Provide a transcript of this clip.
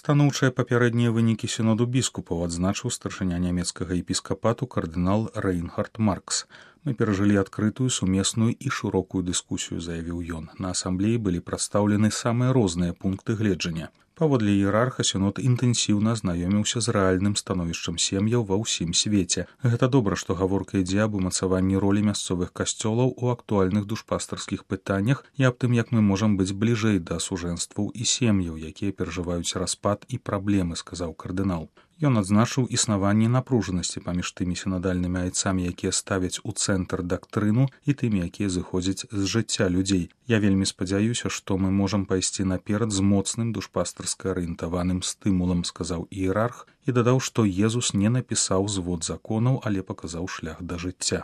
Станоўчыя папярэднія вынікі сіноду біскупаў адзначыў старшыня нямецкага епіскапату кардынал Рейнхард Маркс. Мы перажылі адкрытую, сумесную і шырокую дыскусію, заявіў ён. На асамблеі былі прадстаўлены самыя розныя пункты гледжання. Паводле іерарха сінод інтэнсіўна знаёміўся з рэальным становішчам сем'яў ва ўсім свеце. Гэта добра, што гаворка ідзе аб умацаванні ролі мясцовых касцёлаў у актуальных душпастарскіх пытаннях і аб тым, як мы можам быць бліжэй да сужэнстваў і сем'яў, якія перажываюць распад і праблемы, сказаў кардынал. Ён адзначыў існаванне напружанасці паміж тымі сінадальнымі айцамі, якія ставяць у цэнтр дактрыну, і тымі, якія зыходзяць з жыцця людзей. Я вельмі спадзяюся, што мы можам пайсці наперад з моцным душпастарска арыентаваным стымулам, сказаў іерарх, і дадаў, што Езус не напісаў звод законаў, але паказаў шлях да жыцця.